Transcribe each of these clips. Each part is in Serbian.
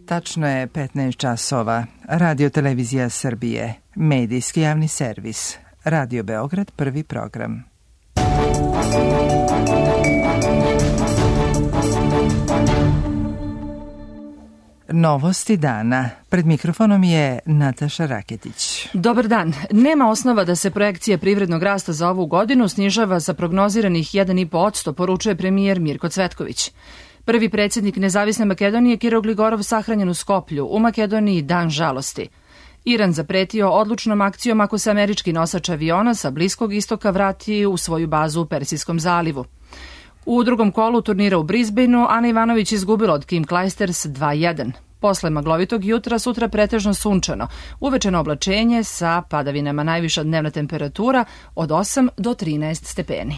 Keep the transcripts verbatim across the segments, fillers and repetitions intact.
Tačno je petnaest časova. Radio Televizija Srbije. Medijski javni servis. Radio Beograd, prvi program. Novosti dana. Pred mikrofonom je Nataša Raketić. Dobar dan. Nema osnova da se projekcija privrednog rasta za ovu godinu snižava sa prognoziranih jedan i po posto, poručuje premijer Mirko Cvetković. Prvi predsjednik Nezavisne Makedonije Kiro Gligorov sahranjen u Skoplju, u Makedoniji dan žalosti. Iran zapretio odlučnom akcijom ako se američki nosač aviona sa Bliskog istoka vrati u svoju bazu u Persijskom zalivu. U drugom kolu turnira u Brisbaneu Ana Ivanović izgubila od Kim Clijsters dva jedan. Posle maglovitog jutra sutra pretežno sunčano, uvečeno oblačenje sa padavinama, najviša dnevna temperatura od osam do trinaest stepeni.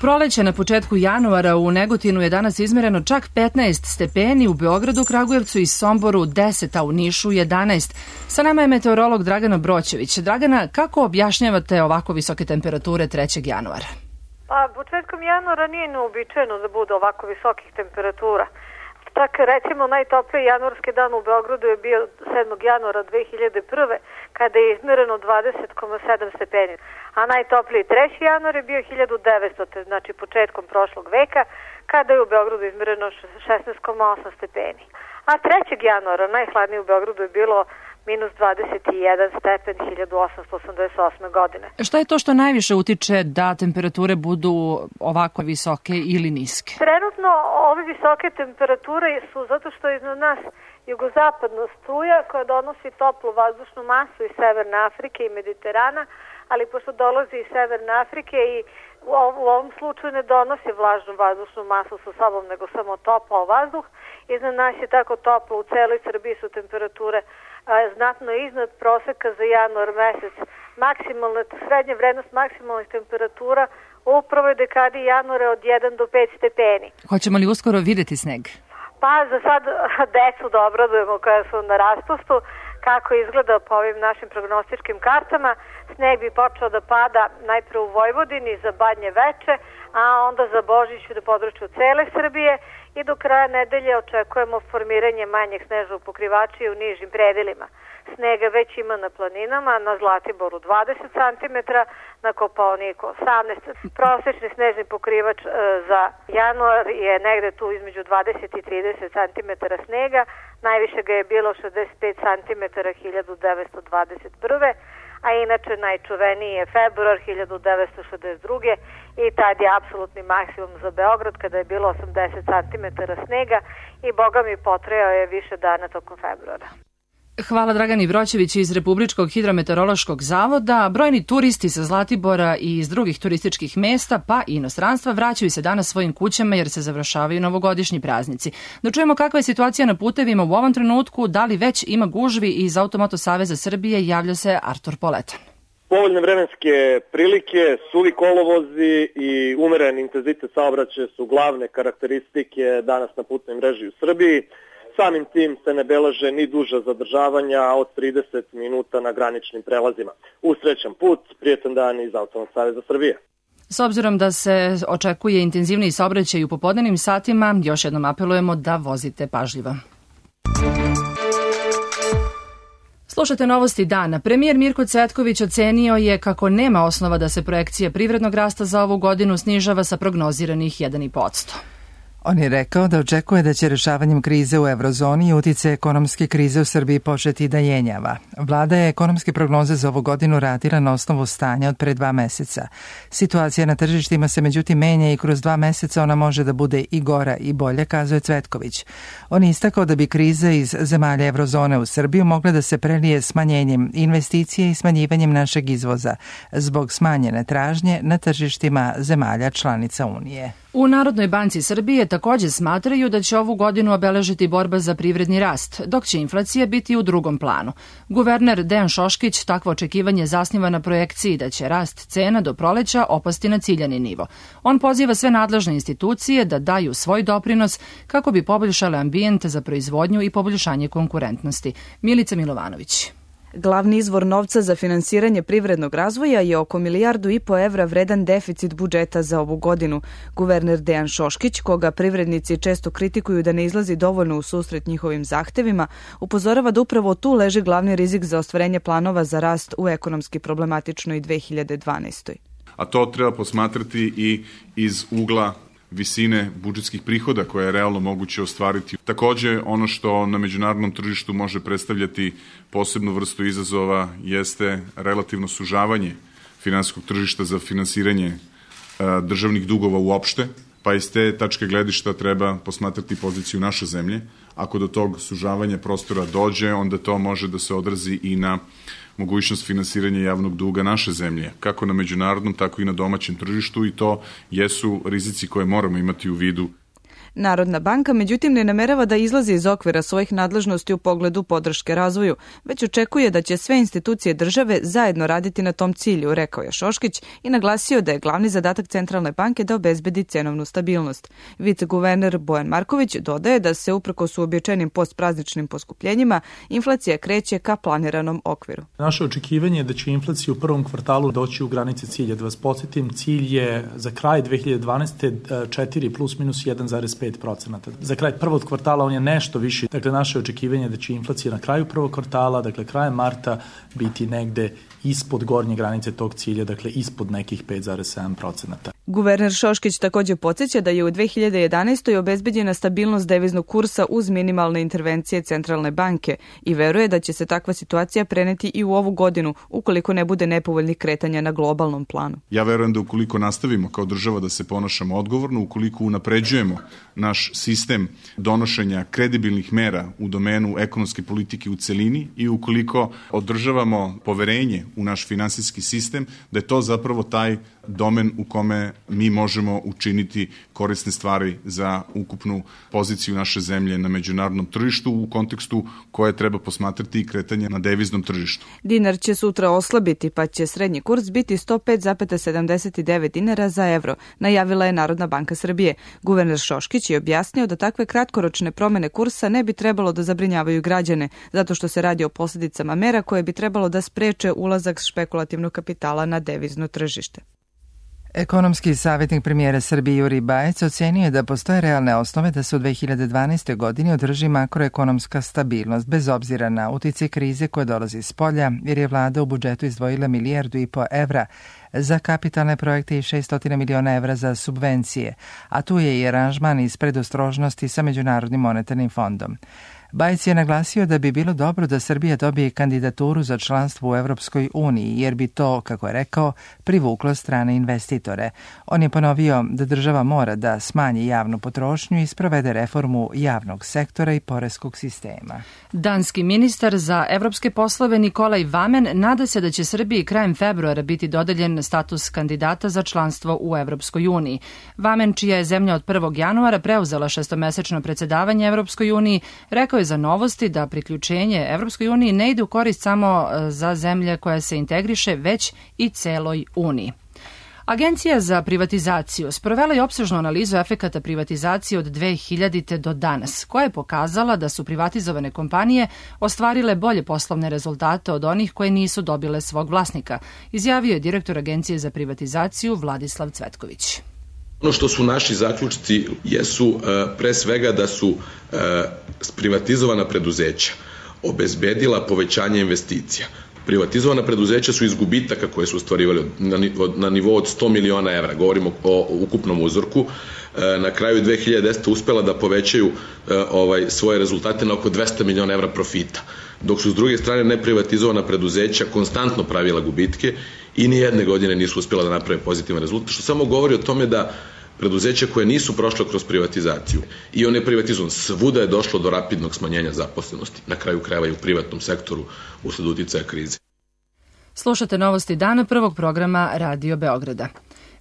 Proleće na početku januara u Negotinu je danas izmereno čak petnaest stepeni, u Beogradu, Kragujevcu i Somboru deset, a u Nišu jedanaest. Sa nama je meteorolog Dragana Broćević. Dragana, kako objašnjavate ovako visoke temperature trećeg januara? Pa, početkom januara nije neuobičajeno da bude ovako visokih temperatura. Tak, recimo, najtopliji januarski dan u Beogradu je bio sedmog januara dve hiljade prve. kada je izmereno dvadeset zarez sedam stepeni. A najtopliji treći januar je bio hiljadu devetsto. Znači početkom prošlog veka, kada je u Beogradu izmereno šesnaest zarez osam stepeni. A trećeg januara najhladnije u Beogradu je bilo minus dvadeset jedan stepen hiljadu osamsto osamdeset osme. godine. Šta je to što najviše utiče da temperature budu ovako visoke ili niske? Trenutno ove visoke temperature su zato što je iznad nas jugozapadna struja koja donosi toplu vazdušnu masu iz Severne Afrike i Mediterana, ali pošto dolazi iz Severne Afrike i u ovom slučaju ne donosi vlažnu vazdušnu masu sa sobom, nego samo topao vazduh. Iznad nas je tako toplo, u celoj Srbiji su temperature a, znatno iznad proseka za januar mesec. Maksimalna, srednja vrednost maksimalnih temperatura u prvoj dekadi januara od jedan do pet stepeni. Hoćemo li uskoro videti sneg? Pa za sad decu da obradujemo koja su na raspustu, kako izgleda po ovim našim prognostičkim kartama. Sneg bi počeo da pada najpre u Vojvodini za Badnje Veče, a onda za Božić na području cele Srbije i do kraja nedelje očekujemo formiranje manjeg snežnog pokrivača i u nižim predelima. Snega već ima na planinama, na Zlatiboru dvadeset centimetara, na Kopaoniku osamnaest. Prosečni snežni pokrivač e, za januar je negde tu između dvadeset i trideset centimetara snega, najviše ga je bilo šezdeset pet centimetara hiljadu devetsto dvadeset prve. a inače najčuveniji je februar hiljadu devetsto šezdeset druge. i tad je apsolutni maksimum za Beograd kada je bilo osamdeset centimetara snega i boga mi potrajao je više dana tokom februara. Hvala Dragani Broćević iz Republičkog hidrometeorološkog zavoda. Brojni turisti sa Zlatibora i iz drugih turističkih mesta pa i inostranstva vraćaju se danas svojim kućama jer se završavaju novogodišnji praznici. Da čujemo kakva je situacija na putevima u ovom trenutku, da li već ima gužvi. Iz Automoto Saveza Srbije javlja se Artur Poletan. Povoljne vremenske prilike, suvi kolovozi i umeren intenzitet saobraćaja su glavne karakteristike danas na putnoj mreži u Srbiji. Samim tim se ne beleže ni duža zadržavanja od trideset minuta na graničnim prelazima. Usrećan put, prijetan dan iz Automoto Saveza Srbije. S obzirom da se očekuje intenzivniji saobraćaj u popodnevnim satima, još jednom apelujemo da vozite pažljivo. Slušajte novosti dana. Premijer Mirko Cvetković ocenio je kako nema osnova da se projekcija privrednog rasta za ovu godinu snižava sa prognoziranih jedan i po posto. On je rekao da očekuje da će rešavanjem krize u eurozoni i utice ekonomske krize u Srbiji početi da jenjava. Vlada je ekonomske prognoze za ovu godinu radila na osnovu stanja od pre dva meseca. Situacija na tržištima se međutim menja i kroz dva meseca ona može da bude i gora i bolja, kazuje Cvetković. On je istakao da bi kriza iz zemalja eurozone u Srbiju mogla da se prelije smanjenjem investicije i smanjivanjem našeg izvoza zbog smanjene tražnje na tržištima zemalja članica Unije. U Narodnoj banci Srbije također smatraju da će ovu godinu obeležiti borba za privredni rast, dok će inflacija biti u drugom planu. Guverner Dejan Šoškić takvo očekivanje zasniva na projekciji da će rast cena do proleća opasti na ciljani nivo. On poziva sve nadležne institucije da daju svoj doprinos kako bi poboljšale ambijent za proizvodnju i poboljšanje konkurentnosti. Milica Milovanović. Glavni izvor novca za finansiranje privrednog razvoja je oko milijardu i po evra vredan deficit budžeta za ovu godinu. Guverner Dejan Šoškić, koga privrednici često kritikuju da ne izlazi dovoljno u susret njihovim zahtevima, upozorava da upravo tu leži glavni rizik za ostvarenje planova za rast u ekonomski problematičnoj dve hiljade dvanaestoj. A to treba posmatrati i iz ugla visine budžetskih prihoda koje je realno moguće ostvariti. Takođe, ono što na međunarodnom tržištu može predstavljati posebnu vrstu izazova jeste relativno sužavanje finansijskog tržišta za finansiranje e, državnih dugova uopšte, pa iz te tačke gledišta treba posmatrati poziciju naše zemlje. Ako do tog sužavanja prostora dođe, onda to može da se odrazi i na mogućnost finansiranja javnog duga naše zemlje, kako na međunarodnom, tako i na domaćem tržištu, i to jesu rizici koje moramo imati u vidu. Narodna banka, međutim, ne namerava da izlazi iz okvira svojih nadležnosti u pogledu podrške razvoju, već očekuje da će sve institucije države zajedno raditi na tom cilju, rekao je Šoškić i naglasio da je glavni zadatak Centralne banke da obezbedi cenovnu stabilnost. Viceguverner Bojan Marković dodaje da se uprkos uobičajenim postprazničnim poskupljenjima inflacija kreće ka planiranom okviru. Naše očekivanje je da će inflacija u prvom kvartalu doći u granice cilja. Da vas podsjetim, cilj je za kraj dve hiljade dvanaeste. četiri plus minus jedan zarez pet procenata. Za kraj prvog kvartala on je nešto viši. Dakle, naše očekivanje je da će inflacija na kraju prvog kvartala, dakle krajem marta, biti negde ispod gornje granice tog cilja, dakle ispod nekih pet zarez sedam procenata. Guverner Šoškić također podsjeća da je u dve hiljade jedanaestoj. obezbeđena stabilnost deviznog kursa uz minimalne intervencije Centralne banke i veruje da će se takva situacija preneti i u ovu godinu ukoliko ne bude nepovoljnih kretanja na globalnom planu. Ja verujem da ukoliko nastavimo kao država da se ponašamo odgovorno, ukoliko unapređujemo naš sistem donošenja kredibilnih mera u domenu ekonomske politike u celini i ukoliko održavamo poverenje u naš finansijski sistem, da je to zapravo taj domen u kome mi možemo učiniti korisne stvari za ukupnu poziciju naše zemlje na međunarodnom tržištu u kontekstu koje treba posmatrati i kretanje na deviznom tržištu. Dinar će sutra oslabiti, pa će srednji kurs biti sto pet zarez sedamdeset devet dinara za evro, najavila je Narodna banka Srbije. Guverner Šoškić je objasnio da takve kratkoročne promene kursa ne bi trebalo da zabrinjavaju građane, zato što se radi o posljedicama mera koje bi trebalo da spreče ulazak špekulativnog kapitala na devizno tržište. Ekonomski savjetnik premijera Srbije Jurij Bajec ocenio je da postoje realne osnove da se u dve hiljade dvanaestoj. godini održi makroekonomska stabilnost bez obzira na uticaj krize koja dolazi iz polja, jer je vlada u budžetu izdvojila milijardu i po evra za kapitalne projekte i šessto miliona evra za subvencije, a tu je i aranžman iz predostrožnosti sa Međunarodnim monetarnim fondom. Bajec je naglasio da bi bilo dobro da Srbija dobije kandidaturu za članstvo u Evropskoj uniji, jer bi to, kako je rekao, privuklo strane investitore. On je ponovio da država mora da smanji javnu potrošnju i sprovede reformu javnog sektora i poreskog sistema. Danski ministar za evropske poslove Nikolaj Vamen nada se da će Srbiji krajem februara biti dodeljen status kandidata za članstvo u Evropskoj uniji. Vamen, čija je zemlja od prvog januara preuzela šestomesečno predsjedavanje Evropskoj uniji, rekao je za Novosti da priključenje Evropskoj uniji ne ide u korist samo za zemlje koja se integriše, već i celoj Uniji. Agencija za privatizaciju sprovela je opsežnu analizu efekata privatizacije od dve hiljadite. do danas, koja je pokazala da su privatizovane kompanije ostvarile bolje poslovne rezultate od onih koje nisu dobile svog vlasnika, izjavio je direktor Agencije za privatizaciju Vladislav Cvetković. Ono što su naši zaključci jesu pre svega da su privatizovana preduzeća obezbedila povećanje investicija. Privatizovana preduzeća su iz gubitaka koje su ostvarivali na nivou od sto miliona evra, govorimo o ukupnom uzorku. Na kraju dve hiljade desete. uspela da povećaju ovaj, svoje rezultate na oko dvesta miliona evra profita, dok su s druge strane neprivatizovana preduzeća konstantno pravila gubitke i ni jedne godine nisu uspjela da naprave pozitivan rezultat, što samo govori o tome da preduzeća koje nisu prošle kroz privatizaciju i one privatizovan, svuda je došlo do rapidnog smanjenja zaposlenosti, na kraju krajeva i u privatnom sektoru usled uticaja krize. Slušate novosti dana prvog programa Radio Beograda.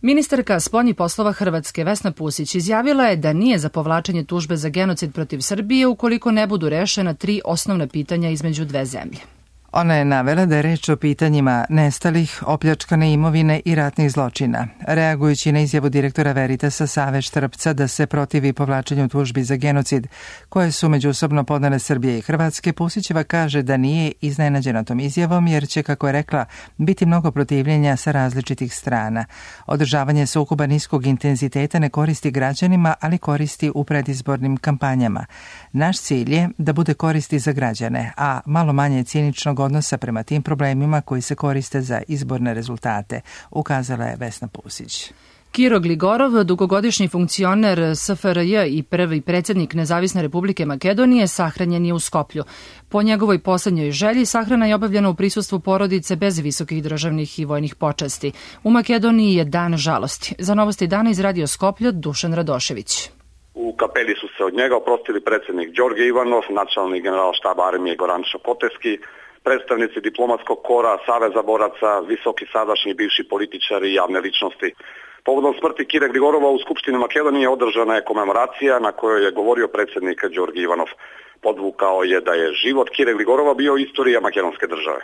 Ministarka spoljnih poslova Hrvatske Vesna Pusić izjavila je da nije za povlačenje tužbe za genocid protiv Srbije ukoliko ne budu rešena tri osnovna pitanja između dve zemlje. Ona je navela da je reč o pitanjima nestalih, opljačkane imovine i ratnih zločina. Reagujući na izjavu direktora Veritasa Save Štrpca da se protivi povlačenju tužbi za genocid koje su međusobno podnele Srbije i Hrvatske, Pusićeva kaže da nije iznenađena tom izjavom jer će, kako je rekla, biti mnogo protivljenja sa različitih strana. Održavanje sukoba niskog intenziteta ne koristi građanima, ali koristi u predizbornim kampanjama. Naš cilj je da bude koristi za građane, a malo manje ciničnog odnosa prema tim problemima koji se koriste za izborne rezultate, ukazala je Vesna Pusić. Kiro Gligorov, dugogodišnji funkcioner S F R J i prvi predsjednik Nezavisne Republike Makedonije, sahranjen je u Skoplju. Po njegovoj poslednjoj želji sahrana je obavljena u prisustvu porodice bez visokih državnih i vojnih počasti. U Makedoniji je dan žalosti. Za Novosti dana izradio Skoplju Dušan Radošević. U kapeli su se od njega oprostili predsjednik Đorđe Ivanov, načelnik general štaba armije Goran Šapoteski, predstavnici diplomatskog kora, Saveza boraca, visoki sadašnji i bivši političari i javne ličnosti. Povodom smrti Kire Gligorova u Skupštini Makedonije održana je komemoracija na kojoj je govorio predsjednik Đorđe Ivanov. Podvukao je da je život Kire Gligorova bio istorija makedonske države.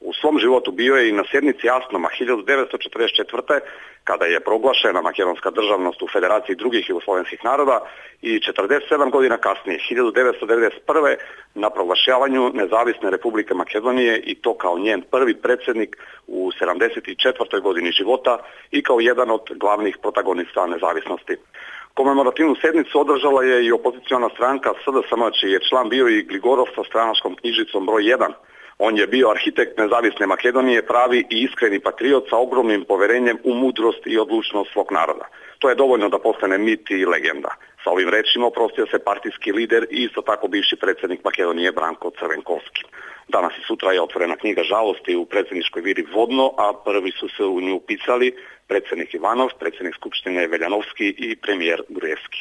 U svom životu bio je i na sjednici Asnoma hiljadu devetsto četrdeset četvrte. kada je proglašena makedonska državnost u Federaciji drugih jugoslovenskih naroda i četrdeset sedam godina kasnije, hiljadu devetsto devedeset prve. na proglašavanju Nezavisne Republike Makedonije i to kao njen prvi predsjednik u sedamdeset četvrtoj godini života i kao jedan od glavnih protagonista nezavisnosti. Komemorativnu sednicu održala je i opoziciona stranka S D S M, čiji je član bio i Gligorov sa stranačkom knjižicom broj jedan. On je bio arhitekt Nezavisne Makedonije, pravi i iskreni patriot sa ogromnim poverenjem u mudrost i odlučnost svog naroda. To je dovoljno da postane mit i legenda. Sa ovim rečima oprostio se partijski lider i isto tako bivši predsjednik Makedonije Branko Crvenkovski. Danas i sutra je otvorena knjiga žalosti u predsjedničkoj vili Vodno, a prvi su se u nju upisali predsjednik Ivanov, predsjednik Skupštine Veljanovski i premijer Gruevski.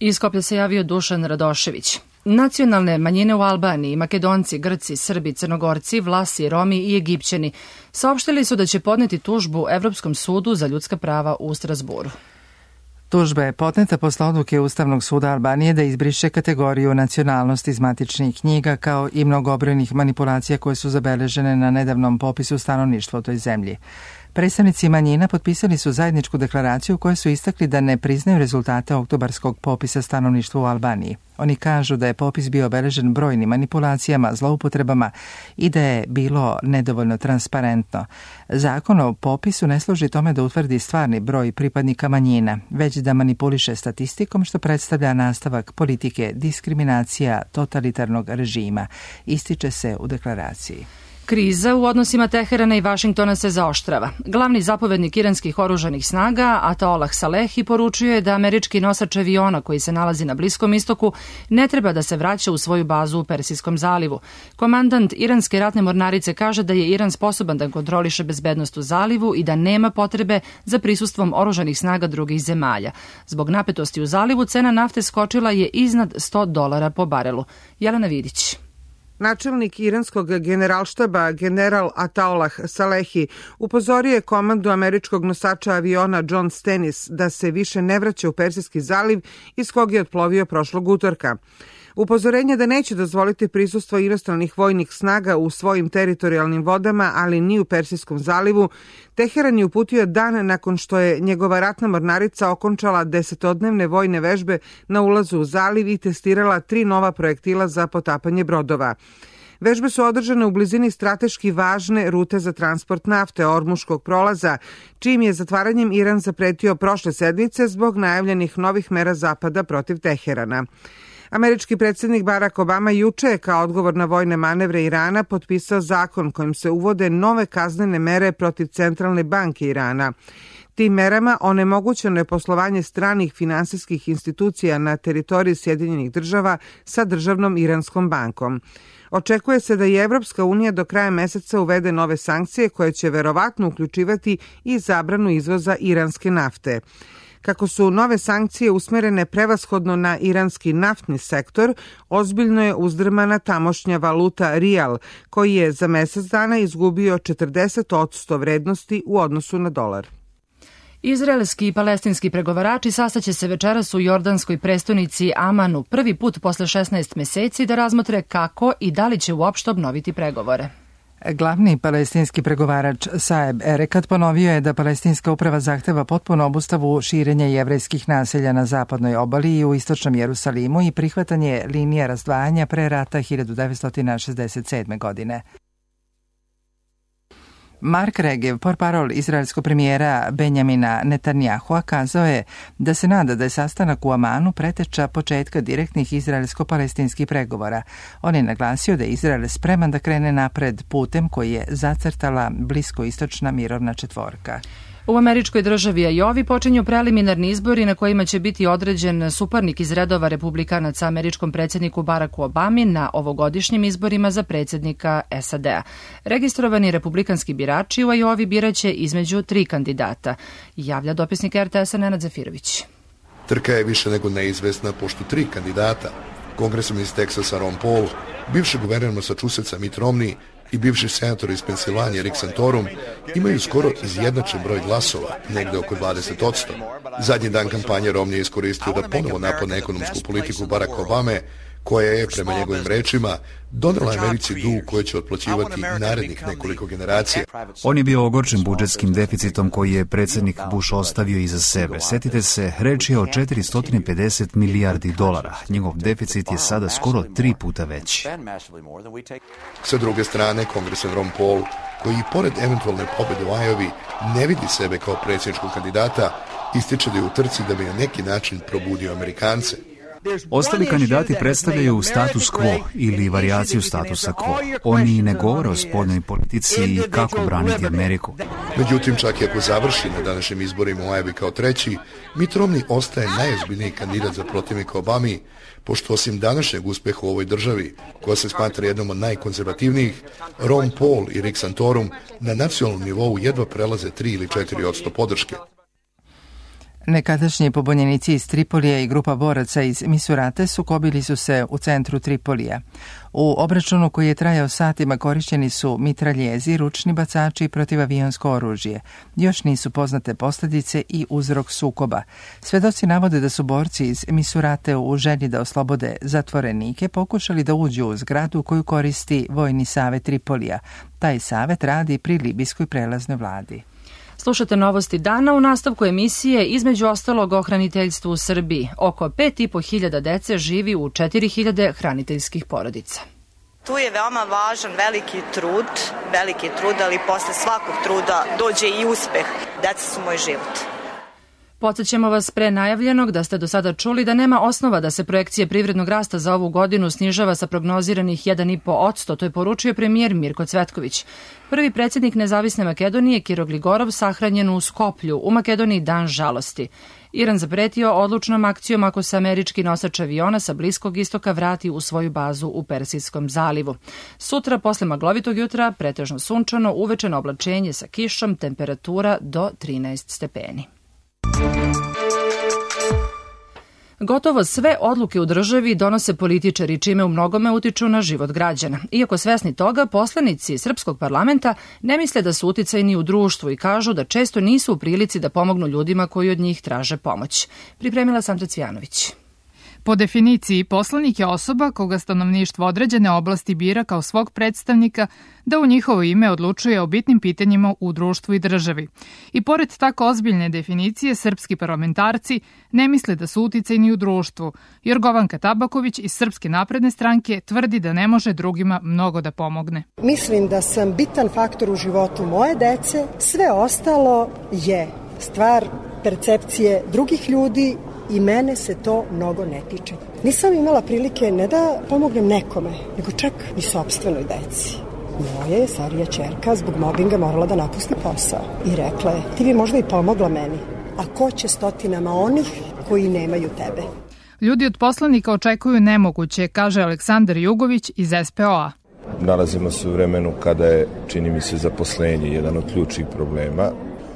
Iz Skoplja se javio Dušan Radošević. Nacionalne manjine u Albaniji, Makedonci, Grci, Srbi, Crnogorci, Vlasi, Romi i Egipćani saopštili su da će podneti tužbu Evropskom sudu za ljudska prava u Strasburu. Tužba je podneta posle odluke Ustavnog suda Albanije da izbriše kategoriju nacionalnosti iz matičnih knjiga kao i mnogobrojnih manipulacija koje su zabeležene na nedavnom popisu stanovništva u toj zemlji. Predstavnici manjina potpisali su zajedničku deklaraciju u kojoj su istakli da ne priznaju rezultate oktobarskog popisa stanovništva u Albaniji. Oni kažu da je popis bio obeležen brojnim manipulacijama, zloupotrebama i da je bilo nedovoljno transparentno. Zakon o popisu ne služi tome da utvrdi stvarni broj pripadnika manjina, već da manipuliše statistikom, što predstavlja nastavak politike diskriminacija totalitarnog režima, ističe se u deklaraciji. Kriza u odnosima Teherana i Vašingtona se zaoštrava. Glavni zapovednik iranskih oružanih snaga, Ataolah Salehi, poručio je da američki nosač aviona koji se nalazi na Bliskom istoku ne treba da se vraća u svoju bazu u Persijskom zalivu. Komandant iranske ratne mornarice kaže da je Iran sposoban da kontroliše bezbednost u zalivu i da nema potrebe za prisustvom oružanih snaga drugih zemalja. Zbog napetosti u zalivu cena nafte skočila je iznad sto dolara po barelu. Jelena Vidić. Načelnik iranskog generalštaba general Ataolah Salehi upozorio je komandu američkog nosača aviona John Stennis da se više ne vraća u Persijski zaliv iz kog je otplovio prošlog utorka. Upozorenje da neće dozvoliti prisustvo inostranih vojnih snaga u svojim teritorijalnim vodama, ali ni u Persijskom zalivu, Teheran je uputio dan nakon što je njegova ratna mornarica okončala desetodnevne vojne vežbe na ulazu u zaliv i testirala tri nova projektila za potapanje brodova. Vežbe su održane u blizini strateški važne rute za transport nafte Ormuškog prolaza, čijim je zatvaranjem Iran zapretio prošle sedmice zbog najavljenih novih mera Zapada protiv Teherana. Američki predsjednik Barack Obama juče je kao odgovor na vojne manevre Irana potpisao zakon kojim se uvode nove kaznene mere protiv Centralne banke Irana. Tim merama onemogućeno je poslovanje stranih finansijskih institucija na teritoriji Sjedinjenih država sa državnom Iranskom bankom. Očekuje se da i Evropska unija do kraja meseca uvede nove sankcije koje će verovatno uključivati i zabranu izvoza iranske nafte. Kako su nove sankcije usmerene prevashodno na iranski naftni sektor, ozbiljno je uzdrmana tamošnja valuta rijal, koji je za mesec dana izgubio četrdeset odsto vrednosti u odnosu na dolar. Izraelski i palestinski pregovarači sastaće se večeras u jordanskoj prestonici Amanu prvi put posle šesnaest meseci da razmotre kako i da li će uopšte obnoviti pregovore. Glavni palestinski pregovarač Saeb Erekat ponovio je da palestinska uprava zahteva potpuno obustavu širenja jevrejskih naselja na zapadnoj obali i u istočnom Jerusalimu i prihvatanje linija razdvajanja pre rata hiljadu devetsto šezdeset sedme. godine. Mark Regev, portparol izraelskog premijera Benjamina Netanyahua, kazao je da se nada da je sastanak u Amanu preteča početka direktnih izraelsko-palestinskih pregovora. On je naglasio da je Izrael spreman da krene napred putem koji je zacrtala bliskoistočna mirovna četvorka. U američkoj državi Ajovi počinju preliminarni izbori na kojima će biti određen suparnik iz redova republikanaca američkom predsjedniku Baracku Obami na ovogodišnjim izborima za predsjednika S A D-a. Registrovani republikanski birači u Ajovi biraće između tri kandidata, javlja dopisnik R T S-a Nenad Zafirović. Trka je više nego neizvesna pošto tri kandidata, kongresman iz Teksasa Ron Paul, bivši guverner Massachusettsa Mitt Romney i bivši senator iz Pensilvanije Rick Santorum imaju skoro izjednačen broj glasova, negde oko dvadeset posto. Zadnji dan kampanje Romney je iskoristio da ponovo napadne ekonomsku politiku Baracka Obame, koja je, prema njegovim rečima, donela Americi dug koji će otplaćivati narednih nekoliko generacija. On je bio ogorčen budžetskim deficitom koji je predsjednik Bush ostavio iza sebe. Setite se, reč je o četiristo pedeset milijardi dolara. Njegov deficit je sada skoro tri puta veći. Sa druge strane, kongresman Ron Paul, koji i pored eventualne pobjede u Ajovi ne vidi sebe kao predsjedničkog kandidata, ističe da je u trci da bi na neki način probudio Amerikance. Ostali kandidati predstavljaju status quo ili varijaciju statusa quo. Oni ne govore o spoljnoj politici i kako braniti Ameriku. Međutim, čak i ako završi na današnjim izborima u Ajovi kao treći, Mitt Romney ostaje najozbiljniji kandidat za protivnika Obami, pošto osim današnjeg uspeha u ovoj državi, koja se smatra jednom od najkonzervativnijih, Ron Paul i Rick Santorum na nacionalnom nivou jedva prelaze tri ili četiri posto podrške. Nekadašnji pobunjenici iz Tripolija i grupa boraca iz Misurate sukobili su se u centru Tripolija. U obračunu koji je trajao satima korišćeni su mitraljezi, ručni bacači i protivavionsko oružje. Još nisu poznate posljedice i uzrok sukoba. Svedoci navode da su borci iz Misurate u želji da oslobode zatvorenike pokušali da uđu u zgradu koju koristi Vojni savet Tripolija. Taj savet radi pri libijskoj prelaznoj vladi. Slušate novosti dana u nastavku emisije, između ostalog o hraniteljstvu u Srbiji. Oko pet i po hiljada dece živi u četiri hiljade hraniteljskih porodica. Tu je veoma važan veliki trud, veliki trud, ali posle svakog truda dođe i uspeh. Deca su moj život. Podsjećamo vas pre najavljenog da ste do sada čuli da nema osnova da se projekcije privrednog rasta za ovu godinu snižava sa prognoziranih jedan i po posto, to je poručio premijer Mirko Cvetković. Prvi predsjednik Nezavisne Makedonije Kiro Gligorov sahranjen u Skoplju, u Makedoniji dan žalosti. Iran zapretio odlučnom akcijom ako se američki nosač aviona sa Bliskog istoka vrati u svoju bazu u Persijskom zalivu. Sutra, posle maglovitog jutra, pretežno sunčano, uvečeno oblačenje sa kišom, temperatura do trinaest stepeni. Gotovo sve odluke u državi donose političari, čime u mnogome utiču na život građana. Iako svesni toga, poslanici Srpskog parlamenta ne misle da su uticajni u društvu i kažu da često nisu u prilici da pomognu ljudima koji od njih traže pomoć. Pripremila Sandra Cvijanović. Po definiciji, poslanik je osoba koga stanovništvo određene oblasti bira kao svog predstavnika da u njihovo ime odlučuje o bitnim pitanjima u društvu i državi. I pored tako ozbiljne definicije, srpski parlamentarci ne misle da su uticajni u društvu. Jorgovanka Tabaković iz Srpske napredne stranke tvrdi da ne može drugima mnogo da pomogne. Mislim da sam bitan faktor u životu moje dece, sve ostalo je stvar percepcije drugih ljudi i mene se to mnogo ne tiče. Nisam imala prilike ne da pomognem nekome, nego čak i sopstvenoj deci. Moja je starija ćerka zbog mobinga morala da napusti posao i rekla je, ti bi možda i pomogla meni, a ko će stotinama onih koji nemaju tebe? Ljudi od poslanika očekuju nemoguće, kaže Aleksandar Jugović iz S P O-a. Nalazimo se u vremenu kada je, čini mi se, zaposlenje jedan od ključnih problema.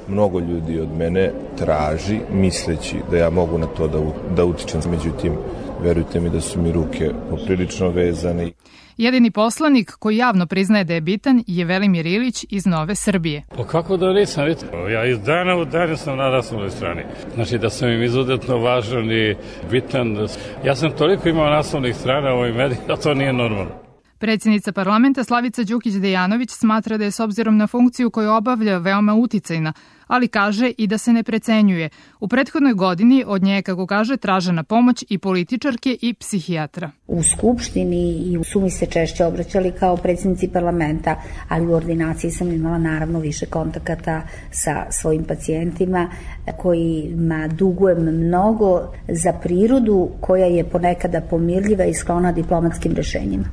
Mnogo ljudi od mene traži, misleći da ja mogu na to da, da utičem. Međutim, verujte mi da su mi ruke poprilično vezane. Jedini poslanik koji javno priznaje da je bitan je Velimir Ilić iz Nove Srbije. Pa kako da nisam, vidite, ja iz dana u dan sam na naslovnoj strani. Znači da sam im izuzetno važan i bitan. Ja sam toliko imao naslovnih strana u ovim medijima, da to nije normalno. Predsjednica parlamenta Slavica Đukić-Dejanović smatra da je s obzirom na funkciju koju obavlja veoma uticajna, ali kaže i da se ne precenjuje. U prethodnoj godini od nje, kako kaže, tražena pomoć i političarke i psihijatra. U Skupštini i su mi se češće obraćali kao predsjednici parlamenta, ali u ordinaciji sam imala naravno više kontakata sa svojim pacijentima kojima dugujem mnogo za prirodu koja je ponekada pomirljiva i sklona diplomatskim rešenjima.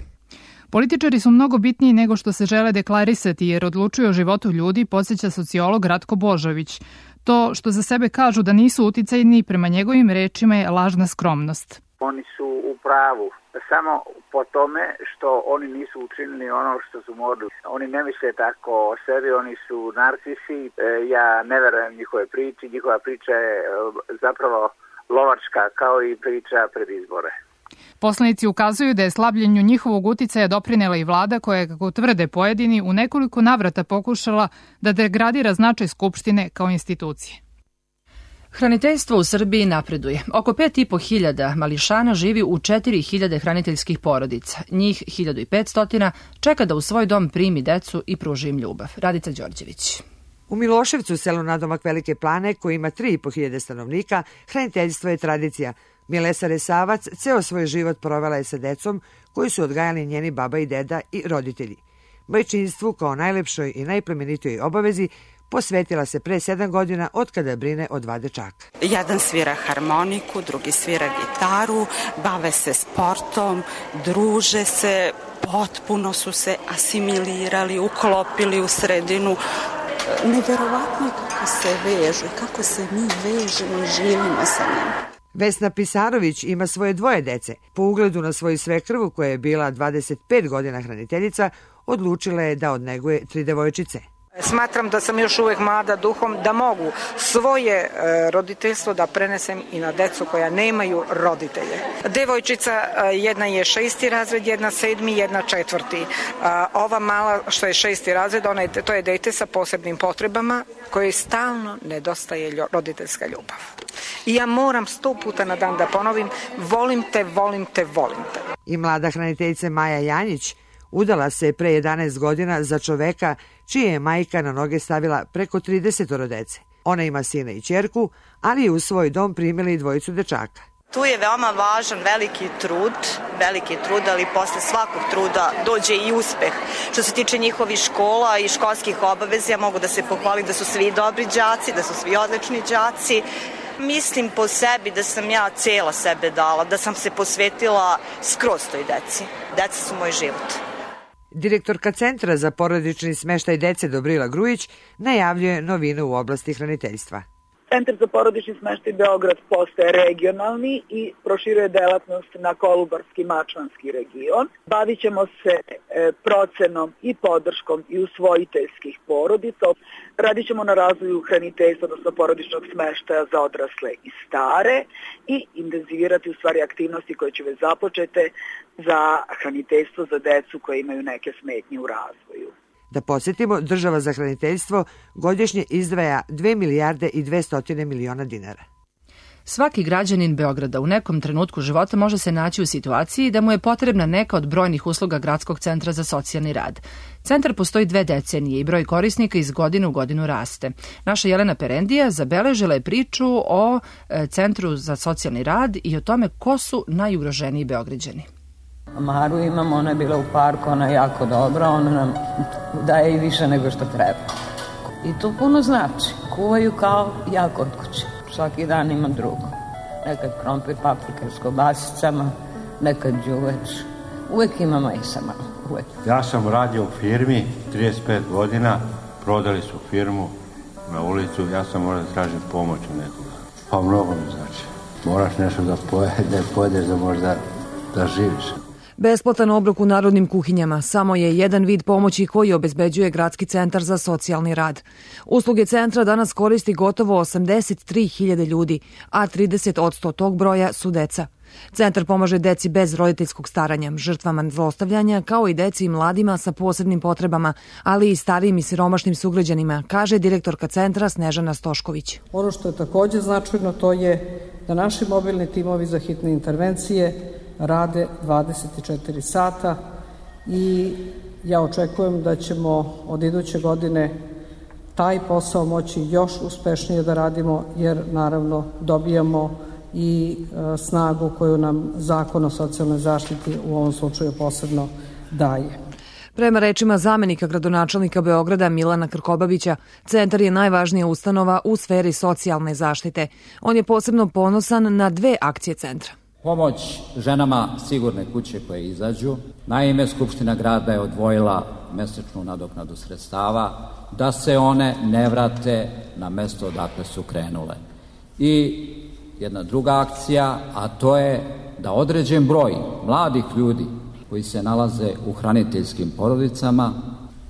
Političari su mnogo bitniji nego što se žele deklarisati jer odlučuju o životu ljudi, podsjeća sociolog Ratko Božović. To što za sebe kažu da nisu uticajni, prema njegovim rečima je lažna skromnost. Oni su u pravu samo po tome što oni nisu učinili ono što su morali. Oni ne misle tako o sebi, oni su narcisi. Ja ne verujem njihove priče, njihova priča je zapravo lovačka kao i priča pred izbore. Poslanici ukazuju da je slabljenju njihovog uticaja doprinela i vlada koja je, kako tvrde pojedini, u nekoliko navrata pokušala da degradira značaj Skupštine kao institucije. Hraniteljstvo u Srbiji napreduje. Oko pet i po hiljada mališana živi u četiri hiljade hraniteljskih porodica. Njih hiljadu petsto čeka da u svoj dom primi decu i pruži im ljubav. Radica Đorđević. U Miloševcu, selu nadomak Velike Plane, koji ima tri i po hiljade stanovnika, hraniteljstvo je tradicija. Milesa Resavac ceo svoj život provela je sa decom koji su odgajali njeni baba i deda i roditelji. Majčinstvu kao najlepšoj i najplemenitijoj obavezi posvetila se pre sedam godina od kada brine o dva dečaka. Jedan svira harmoniku, drugi svira gitaru, bave se sportom, druže se, potpuno su se asimilirali, uklopili u sredinu. Neverovatno je kako se vežu i kako se mi vežemo i živimo sa njim. Vesna Pisarović ima svoje dvoje dece. Po ugledu na svoju svekrvu, koja je bila dvadeset pet godina hraniteljica, odlučila je da odneguje tri devojčice. Smatram da sam još uvek mlada duhom, da mogu svoje e, roditeljstvo da prenesem i na decu koja nemaju roditelje. Devojčica, e, jedna je šesti razred, jedna sedmi, jedna četvrti. E, ova mala što je šesti razred, ona je, to je dete sa posebnim potrebama koje stalno nedostaje roditeljska ljubav. I ja moram sto puta na dan da ponovim, volim te, volim te, volim te. I mlada hraniteljica Maja Janjić udala se pre jedanaest godina za čoveka čije je majka na noge stavila preko trideset dece. Ona ima sina i ćerku, ali je u svoj dom primila i dvojicu dečaka. Tu je veoma važan veliki trud, veliki trud, ali posle svakog truda dođe i uspeh. Što se tiče njihovih škola i školskih obaveza, ja mogu da se pohvalim da su svi dobri đaci, da su svi odlični đaci. Mislim po sebi da sam ja cela sebe dala, da sam se posvetila skroz toj deci. Deca su moj život. Direktorka Centra za porodični smeštaj dece Dobrila Grujić najavljuje novine u oblasti hraniteljstva. Centar za porodični smeštaj Beograd postaje regionalni i proširuje delatnost na Kolubarski mačvanski region. Bavit ćemo se e, procenom i podrškom i usvojiteljskih porodica. Radit ćemo na razvoju hraniteljstva, odnosno porodičnog smeštaja za odrasle i stare i intenzivirati u stvari aktivnosti koje će već započete za hraniteljstvo za decu koje imaju neke smetnje u razvoju. Da podsjetimo, država za hraniteljstvo godišnje izdvaja dve milijarde i dvesta miliona dinara. Svaki građanin Beograda u nekom trenutku života može se naći u situaciji da mu je potrebna neka od brojnih usluga Gradskog centra za socijalni rad. Centar postoji dve decenije i broj korisnika iz godine u godinu raste. Naša Jelena Perendija zabeležila je priču o Centru za socijalni rad i o tome ko su najugroženiji Beograđani. Maru imamo, ona je bila u parku, ona je jako dobra, ona nam daje i više nego što treba. I to puno znači. Kuvaju kao ja kod kuće. Svaki dan ima drugo. Nekad krompir, paprika s kobasicama, nekad đuveč. Uvek ima majsa malo, uvek. Ja sam radio u firmi trideset pet godina, prodali su firmu na ulicu, ja sam morao da tražim pomoć u nekoga. Pa mnogo mi znači. Moraš nešto da pojedeš da možda da živiš. Besplatan obrok u narodnim kuhinjama samo je jedan vid pomoći koji obezbeđuje Gradski centar za socijalni rad. Usluge centra danas koristi gotovo osamdeset tri hiljade ljudi, a trideset posto tog broja su deca. Centar pomaže deci bez roditeljskog staranja, žrtvama zlostavljanja, kao i deci i mladima sa posebnim potrebama, ali i starijim i siromašnim sugrađanima, kaže direktorka centra Snežana Stošković. Ono što je takođe značajno to je da naši mobilni timovi za hitne intervencije rade dvadeset četiri sata i ja očekujem da ćemo od iduće godine taj posao moći još uspešnije da radimo, jer naravno dobijamo i e, snagu koju nam Zakon o socijalnoj zaštiti u ovom slučaju posebno daje. Prema rečima zamenika gradonačelnika Beograda Milana Krkobabića, centar je najvažnija ustanova u sferi socijalne zaštite. On je posebno ponosan na dve akcije centra. Pomoć ženama sigurne kuće koje izađu. Naime, Skupština grada je odvojila mesečnu nadoknadu sredstava da se one ne vrate na mesto odakle su krenule. I jedna druga akcija, a to je da određen broj mladih ljudi koji se nalaze u hraniteljskim porodicama,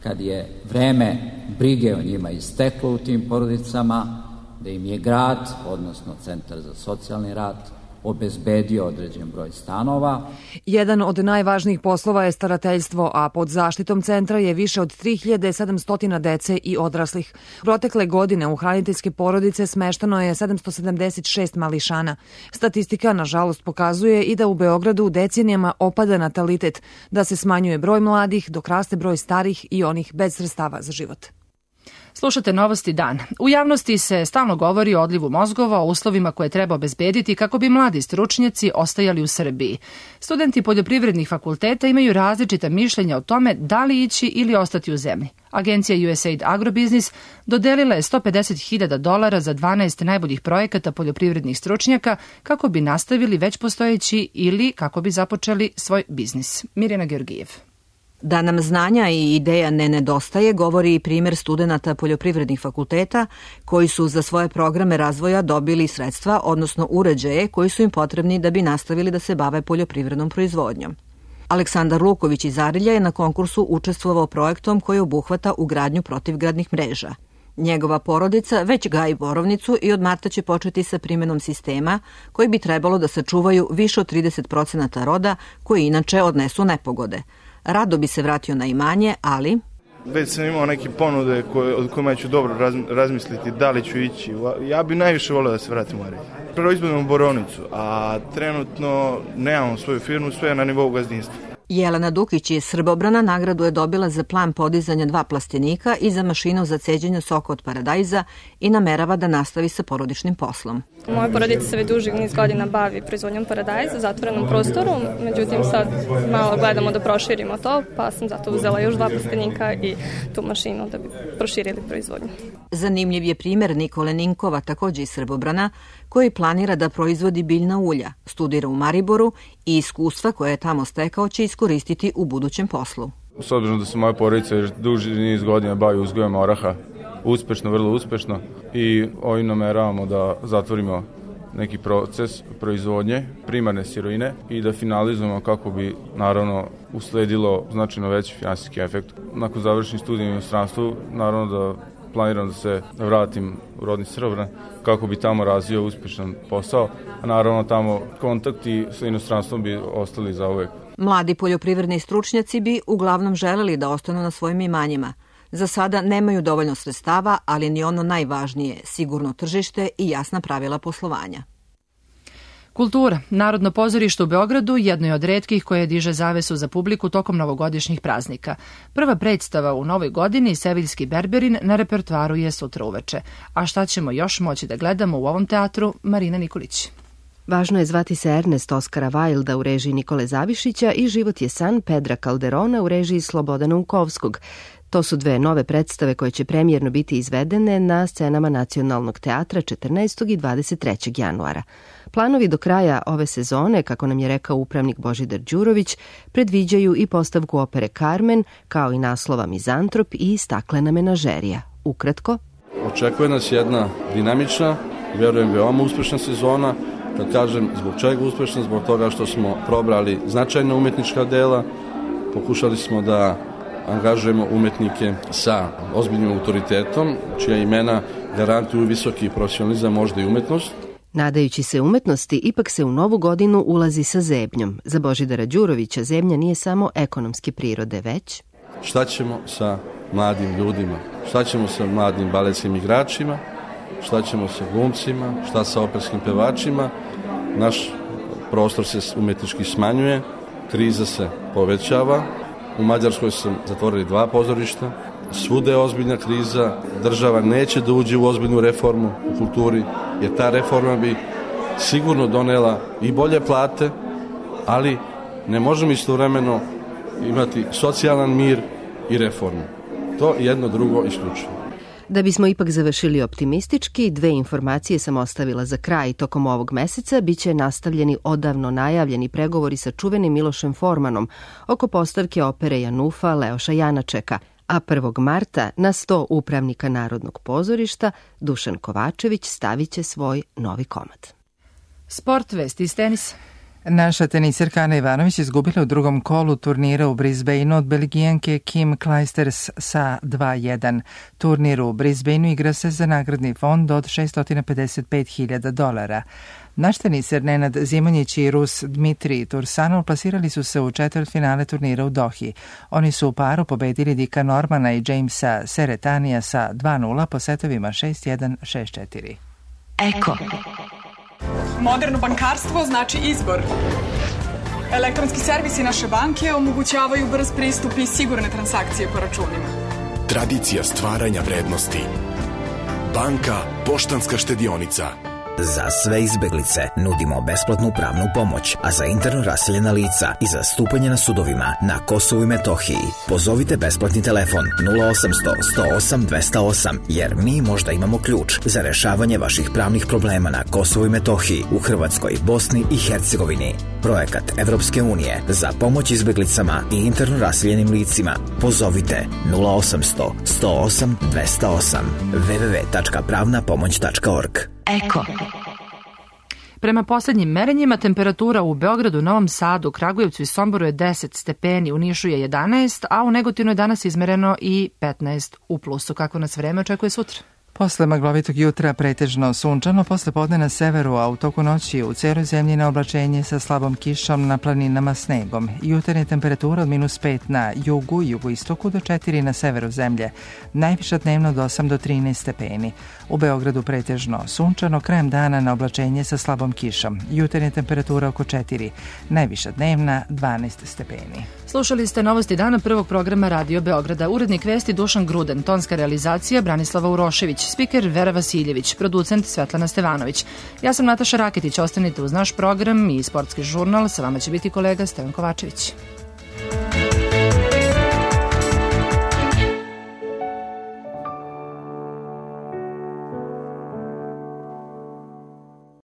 kad je vreme brige o njima isteklo u tim porodicama, da im je grad, odnosno Centar za socijalni rad, obezbedio određen broj stanova. Jedan od najvažnijih poslova je starateljstvo, a pod zaštitom centra je više od tri hiljade sedamsto dece i odraslih. Protekle godine u hraniteljske porodice smešteno je sedamsto sedamdeset šest mališana. Statistika, nažalost, pokazuje i da u Beogradu decenijama opada natalitet, da se smanjuje broj mladih, dok raste broj starih i onih bez sredstava za život. Slušate Novosti dan. U javnosti se stalno govori o odlivu mozgova, o uslovima koje treba obezbediti kako bi mladi stručnjaci ostajali u Srbiji. Studenti poljoprivrednih fakulteta imaju različita mišljenja o tome da li ići ili ostati u zemlji. Agencija U S A I D Agrobiznis dodelila je sto pedeset hiljada dolara za dvanaest najboljih projekata poljoprivrednih stručnjaka kako bi nastavili već postojeći ili kako bi započeli svoj biznis. Mirjana Georgijev. Da nam znanja i ideja ne nedostaje, govori i primer studenata poljoprivrednih fakulteta koji su za svoje programe razvoja dobili sredstva, odnosno uređaje koji su im potrebni da bi nastavili da se bave poljoprivrednom proizvodnjom. Aleksandar Luković iz Arilja je na konkursu učestvovao projektom koji obuhvata ugradnju protivgradnih mreža. Njegova porodica već gaji borovnicu i od marta će početi sa primenom sistema koji bi trebalo da sačuvaju više od trideset procenata roda koji inače odnesu nepogode. Rado bi se vratio na imanje, ali... Već sam imao neke ponude koje, od kojima ću dobro raz, razmisliti da li ću ići. Ja bi najviše volio da se vratim u Arilje. Proizvodimo borovnicu, a trenutno nemamo svoju firmu, sve je na nivou gazdinstva. Jelena Dukić iz Srbobrana nagradu je dobila za plan podizanja dva plastenika i za mašinu za ceđenje soka od paradajza i namerava da nastavi sa porodičnim poslom. Moja porodica se već duži niz godina bavi proizvodnjom paradajza u zatvorenom prostoru, međutim sad malo gledamo da proširimo to, pa sam zato uzela još dva plastenika i tu mašinu da bi proširili proizvodnju. Zanimljiv je primer Nikole Ninkova, takođe iz Srbobrana, koji planira da proizvodi biljna ulja, studira u Mariboru i iskustva koje je tamo stekao će iskoristiti u budućem poslu. S obzirom da se moja porodica još duži niz godina bavi uzgojem oraha, uspešno, vrlo uspešno, i ovim nameravamo da zatvorimo neki proces proizvodnje primarne sirovine i da finalizujemo kako bi naravno usledilo značajno veći finansijski efekt. Nakon završenih studija u inostranstvu, naravno da planiram da se vratim u rodni Srbobran kako bi tamo razvio uspešan posao, a naravno tamo kontakti sa inostranstvom bi ostali za uvek. Mladi poljoprivredni stručnjaci bi uglavnom želeli da ostanu na svojim imanjima. Za sada nemaju dovoljno sredstava, ali ni ono najvažnije, sigurno tržište i jasna pravila poslovanja. Kultura. Narodno pozorište u Beogradu jedno je od retkih koje diže zavesu za publiku tokom novogodišnjih praznika. Prva predstava u novoj godini, Seviljski berberin, na repertoaru je sutra uveče. A šta ćemo još moći da gledamo u ovom teatru? Marina Nikolić. Važno je zvati se Ernest Oskara Wilda u režiji Nikole Zavišića i Život je san Pedra Calderona u režiji Slobodana Unkovskog. To su dve nove predstave koje će premijerno biti izvedene na scenama Nacionalnog teatra četrnaestog i dvadeset trećeg januara. Planovi do kraja ove sezone, kako nam je rekao upravnik Božidar Đurović, predviđaju i postavku opere Carmen, kao i naslova Mizantrop i Staklena menažerija. Ukratko, očekuje nas jedna dinamična, vjerujem veoma uspešna sezona. Kad kažem zbog čega uspešna, zbog toga što smo probrali značajna umetnička dela, pokušali smo da angažujemo umetnike sa ozbiljnim autoritetom, čija imena garantuju visoki profesionalizam, možda i umetnost. Nadajući se umetnosti, ipak se u novu godinu ulazi sa zebnjom. Za Božidara Đurovića zebnja nije samo ekonomske prirode, već... Šta ćemo sa mladim ljudima? Šta ćemo sa mladim baletskim igračima? Šta ćemo sa glumcima? Šta sa operskim pevačima? Naš prostor se umetnički smanjuje, kriza se povećava U Mađarskoj su zatvorili dva pozorišta. Svuda je ozbiljna kriza, država neće da uđe u ozbiljnu reformu u kulturi, jer ta reforma bi sigurno donela i bolje plate, ali ne možemo istovremeno imati socijalan mir i reformu. To jedno drugo isključuje. Da bismo ipak završili optimistički, dve informacije sam ostavila za kraj. Tokom ovog meseca biće nastavljeni odavno najavljeni pregovori sa čuvenim Milošem Formanom oko postavke opere Janufa Leoša Janačeka, a prvog marta na sto upravnika Narodnog pozorišta Dušan Kovačević stavit će svoj novi komad. Sport, vesti iz tenisa. Naša tenisirka Ana Ivanović izgubila u drugom kolu turnira u Brisbaneu od Belgijanke Kim Clijsters sa dva jedan. Turnir u Brisbaneu igra se za nagradni fond od šessto pedeset pet hiljada dolara. Naš tenisir Nenad Zimonjić i Rus Dmitrij Tursanov plasirali su se u četvrtfinale turnira u Dohi. Oni su u paru pobedili Dika Normana i Jamesa Seretanija sa dva nula po setovima šest jedan, šest četiri. Eko. Moderno bankarstvo znači izbor. Elektronski servisi naše banke omogućavaju brz pristup i sigurne transakcije po računima. Tradicija stvaranja vrednosti. Banka Poštanska štedionica. Za sve izbeglice nudimo besplatnu pravnu pomoć, a za interno raseljena lica i za stupanje na sudovima na Kosovu i Metohiji pozovite besplatni telefon nula osamsto, sto osam, dvesta osam, jer mi možda imamo ključ za rešavanje vaših pravnih problema na Kosovu i Metohiji, u Hrvatskoj, Bosni i Hercegovini. Projekat Evropske unije za pomoć izbeglicama i interno raseljenim licima. Pozovite nula osamsto, sto osam, dvesta osam, w w w tačka pravna pomoć tačka org. Eko. Prema poslednjim merenjima, temperatura u Beogradu, Novom Sadu, Kragujevcu i Somboru je deset stepeni, u Nišu je jedanaest, a u Negotinu je danas izmereno i petnaest u plusu. Kako nas vreme očekuje sutra? Posle maglovitog jutra pretežno sunčano, posle podne na severu, a u toku noći u celoj zemlji na oblačenje sa slabom kišom, na planinama snegom. Jutarnje temperatura od minus pet na jugu i jugoistoku do četiri na severu zemlje. Najviša dnevno od osam do trinaest stepeni. U Beogradu pretežno sunčano, krajem dana na oblačenje sa slabom kišom. Jutarnje temperatura oko četiri, najviša dnevna dvanaest stepeni. Slušali ste novosti dana prvog programa Radio Beograda. Urednik vesti Dušan Gruden, tonska realizacija Branislava Urošević, spiker Vera Vasiljević, producent Svetlana Stevanović. Ja sam Nataša Raketić, ostanite uz naš program i sportski žurnal, sa vama će biti kolega Stevan Kovačević.